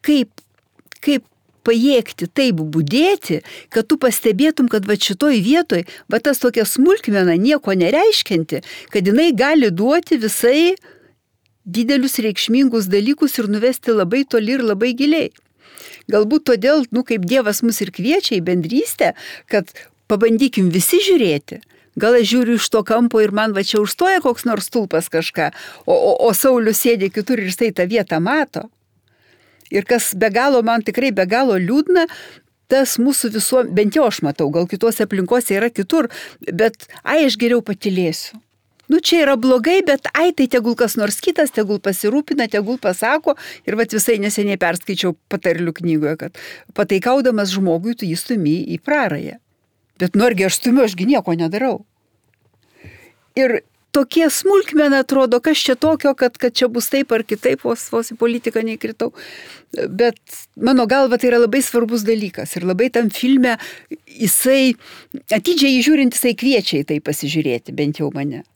kaip pajėgti taip budėti, kad tu pastebėtum, kad šitoj vietoj, tas tokia smulkmena nieko nereiškianti, kad jinai gali duoti visai didelius reikšmingus dalykus ir nuvesti labai toli ir labai giliai. Galbūt todėl, kaip Dievas mus ir kviečia į bendrystę, kad pabandykim visi žiūrėti. Gal aš žiūriu iš to kampo ir man čia užstoja koks nors stulpas kažką, o Saulius sėdė kitur ir jisai tą vietą mato. Ir kas man tikrai be galo liūdna, tas mūsų bent jau aš matau, gal kitose aplinkose yra kitur, bet aš geriau patylėsiu. Čia yra blogai, bet tai tegul kas nors kitas, tegul pasirūpina, tegul pasako. Ir visai neseniai perskaičiau patarlių knygoje, kad pataikaudamas žmogui, tu jį stumi į prarąją. Bet argi aš stumiu, ašgi nieko nedarau. Ir tokie smulkmena atrodo, kas čia tokio, kad čia bus taip ar kitaip, vos į politiką neįkritau. Bet mano galva tai yra labai svarbus dalykas. Ir labai tam filme jisai, atidžiai žiūrint, jisai kviečia į tai pasižiūrėti, bent jau mane.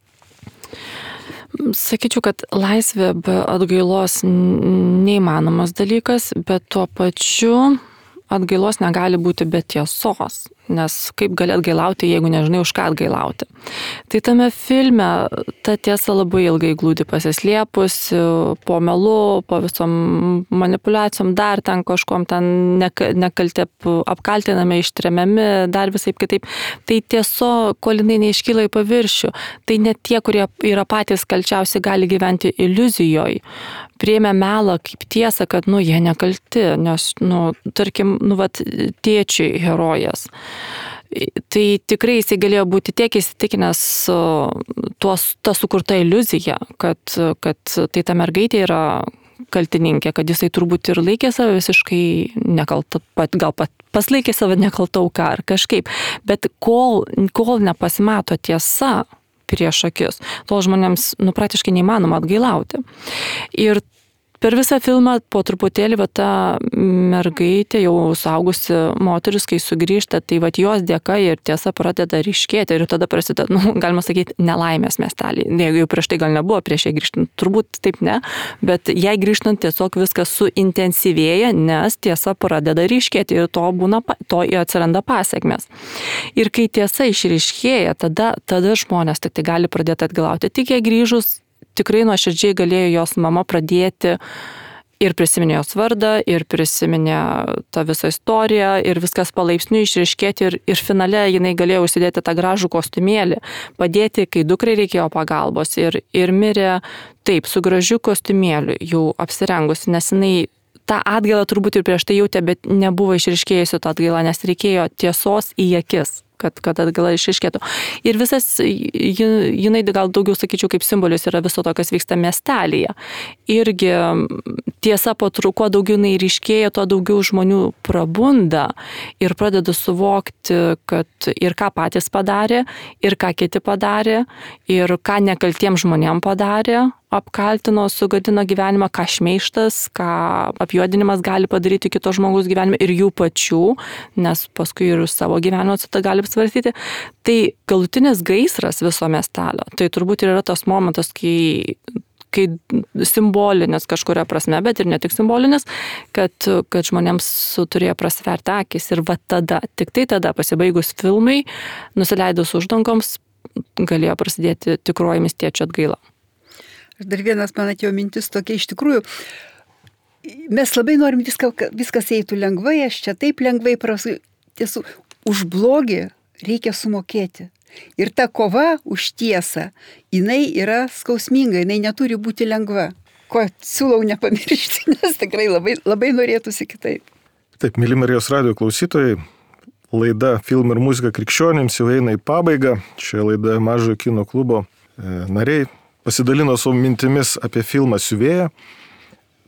Sakyčiau, kad laisvė be atgailos neįmanomas dalykas, bet tuo pačiu atgailos negali būti be tiesos, nes kaip gali atgailauti, jeigu nežinai, už ką atgailauti. Tai tame filme ta tiesa labai ilgai glūdi pasislėpusi, po melu, po visom manipulacijom, dar ten kažkom ten nekalti apkaltinami, ištremiami, dar visai kitaip. Tai tiesa, kol jinai neiškyla į paviršių, tai net tie, kurie yra patys kalčiausi, gali gyventi iliuzijoje. Priėmė melą kaip tiesą, kad, jie nekalti, nes, tarkim, tėčiui herojas. Tai tikrai jisai galėjo būti tiek įsitikinęs ta sukurta iliuzija, kad tai ta mergaitė yra kaltininkė, kad jisai turbūt ir laikė save visiškai nekalta, gal paslaikė save nekalta auka ar kažkaip. Bet kol nepasimato tiesa prieš akis, tol žmonėms praktiškai neįmanoma atgailauti. Ir per visą filmą po truputėlį ta mergaitė, jau suaugusi moteris, kai sugrįžta, tai jos dėka ir tiesa pradeda ryškėti ir tada prasideda, galima sakyti, nelaimės miestelį. Jeigu jau prieš tai gal nebuvo, prieš jai grįžtant, turbūt taip ne, bet jai grįžtant tiesiog viskas suintensyvėja, nes tiesa pradeda ryškėti ir to atsiranda pasekmės. Ir kai tiesa išryškėja, tada žmonės tik tai gali pradėti atgailauti. Tik jai grįžus, tikrai nuoširdžiai galėjo jos mama pradėti Ir prisiminė jos vardą, ir prisiminė tą visą istoriją, ir viskas palaipsniui išriškėti, ir finale jinai galėjo užsidėti tą gražų kostiumėlį, padėti, kai dukrai reikėjo pagalbos, ir mirė taip, su gražiu kostiumėliu, jau apsirengusi, nes jinai tą atgailą turbūt ir prieš tai jautė, bet nebuvo išriškėjusi tą atgailą, nes reikėjo tiesos į akis, kad atgaila išriškėtų. Ir visas, jinai gal daugiau, sakyčiau, kaip simbolis yra viso to, kas vyksta miestelėje. Irgi tiesa po kuo daugiau jinai ryškėja, tuo daugiau žmonių prabunda ir pradeda suvokti, kad ir ką patys padarė, ir ką kiti padarė, ir ką nekaltiems žmonėms padarė, apkaltino, sugadino gyvenimą, ką šmeištas, ką apjuodinimas gali padaryti kito žmogaus gyvenime ir jų pačių, nes paskui ir savo gyvenimo atsitą gali svarstyti. Tai galutinis gaisras viso miestelio, tai turbūt ir yra tas momentas, kai simbolinis kažkuria prasme, bet ir ne tik simbolinis, kad žmonėms turėjo prasverti akis ir va tada, tik tai tada pasibaigus filmai, nusileidus uždangoms, galėjo prasidėti tikroji miestiečių atgaila. Dar vienas man atėjo mintis tokia, iš tikrųjų, mes labai norim viskas eitų lengvai, aš čia taip lengvai prasu, tiesų, už blogį reikia sumokėti. Ir ta kova už tiesą, jinai yra skausminga, jinai neturi būti lengva. Ko siūlau nepamiršti, nes tikrai labai, labai norėtųsi kitaip. Taip, mėly Marijos radijo klausytojai, laida Film ir muzika krikščionims jau eina į pabaigą. Šioje laidoje Mažojo kino klubo nariai pasidalino savo mintimis apie filmą Siuvėja.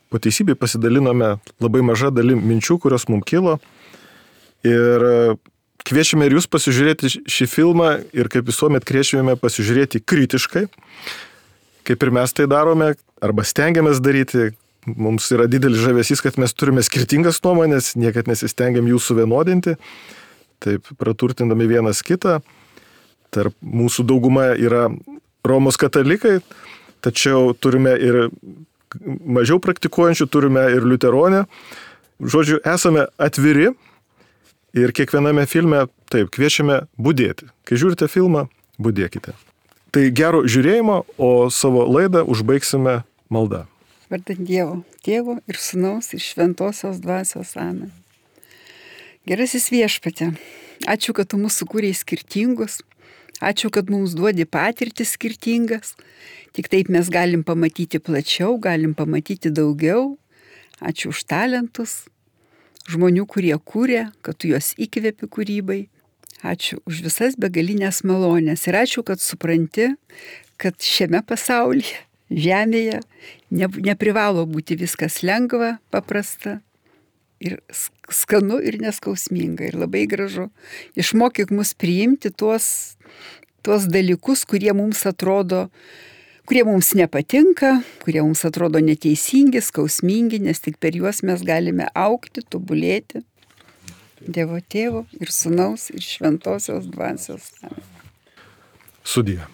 Po teisybei pasidalinome labai maža dalim minčių, kurios mums kilo. Ir kviečiame ir jūs pasižiūrėti šį filmą ir kaip visuomet kviečiame pasižiūrėti kritiškai, kaip ir mes tai darome, arba stengiamės daryti. Mums yra didelis žavesys, kad mes turime skirtingas nuomonės, niekad nesistengiam jų suvienodinti, taip praturtindami vienas kitą. Tarp mūsų dauguma yra Romos katalikai, tačiau turime ir mažiau praktikuojančių, turime ir liuteronę. Žodžiu, esame atviri ir kiekviename filme, taip, kviečiame budėti. Kai žiūrite filmą, budėkite. Tai gero žiūrėjimo, o savo laidą užbaigsime malda. Vardant Dievo, Tėvo ir Sūnaus ir Šventosios Dvasios. Amen. Gerasis Viešpatie, ačiū, kad tu mūsų sukūrei skirtingus. Ačiū, kad mums duodi patirtis skirtingas. Tik taip mes galim pamatyti plačiau, galim pamatyti daugiau. Ačiū už talentus, žmonių, kurie kūrė, kad tu juos įkvėpi kūrybai. Ačiū už visas begalinės malonės. Ir ačiū, kad supranti, kad šiame pasaulyje, žemėje, neprivalo būti viskas lengva, paprasta. Ir skanu ir neskausminga ir labai gražu. Išmokyk mus priimti tuos dalykus, kurie mums atrodo, kurie mums nepatinka, kurie mums atrodo neteisingi, skausmingi, nes tik per juos mes galime augti, tobulėti. Dievo Tėvo ir Sūnaus ir Šventosios Dvasios. Sudie.